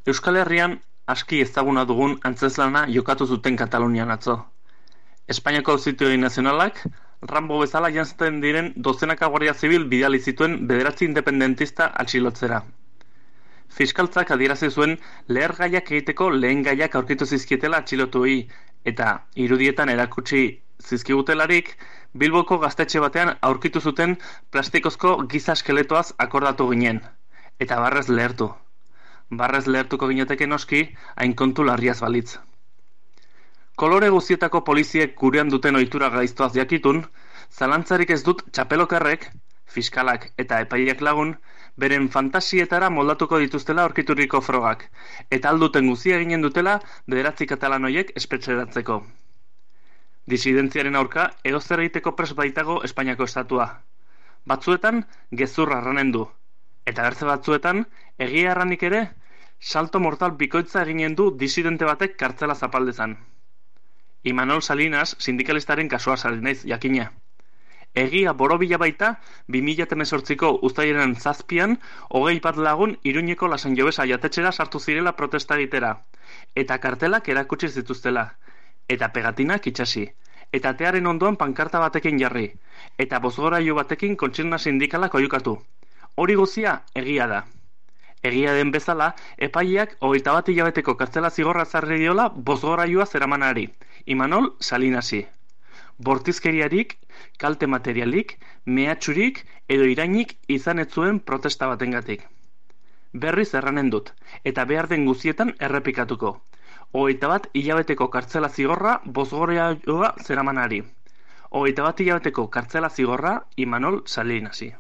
Euskal Herrian aski ezaguna dugun antzezlana jokatu zuten Katalunian atzo. Espainiako Auzitegi Nazionalak Rambo bezala janzten diren dozenaka guardia zibil bidali zituen 9 independentista atxilotzera. Fiskaltzak adierazi zuen lehergaiak egiteko lehen gaiak aurkitu zizkietela atxilotuei, eta irudietan erakutsi zizkigutelarik Bilboko gaztetxe batean aurkitu zuten plastikozko giza eskeletoaz akordatu ginen, eta barrez lehertu. Barrez lehertuko ginateke noski, hain kontu larriaz balitz. Kolore guztietako poliziek gurean duten ohitura gaiztoaz jakitun, zalantzarik ez dut txapelokarrek, fiskalak eta epaileak lagun, beren fantasietara moldatuko dituztela aurkituriko frogak, eta alduten guzia eginen dutela 9 katalanoiek espetxeratzeko. Disidentziaren aurka edozer egiteko prest baitago Espainiako estatua. Batzuetan gezurra arranen du, eta bertze batzuetan egia erranik ere salto mortal bikoitza eginen du disidente batek kartzela zapaldezan. Imanol Salinas sindikalistaren kasua sari naiz jakina. Egia borobila baita 2018ko uztailaren 7an 21 lagun Iruñeko Lasan Jobesa jatetxera sartu zirela protesta egitera, eta kartelak erakutsi zituztela, eta pegatinak itxasi, eta atearen ondoan pankarta batekin jarri, eta bozgorailu batekin kontsigna sindikalak oihukatu. Hori guzia egia da. Egia den bezala, epaileak 21 hilabeteko kartzela zigorra ezarri diola bozgorailua zeramanari, Imanol Salinasi. Bortizkeriarik, kalte materialik, mehatxurik edo irainik izan ez zuen protesta batengatik. Berriz erranen dut, eta behar den guzietan errepikatuko. 21 hilabeteko kartzela zigorra bozgorailua zeramanari. 21 hilabeteko kartzela zigorra Imanol Salinasi.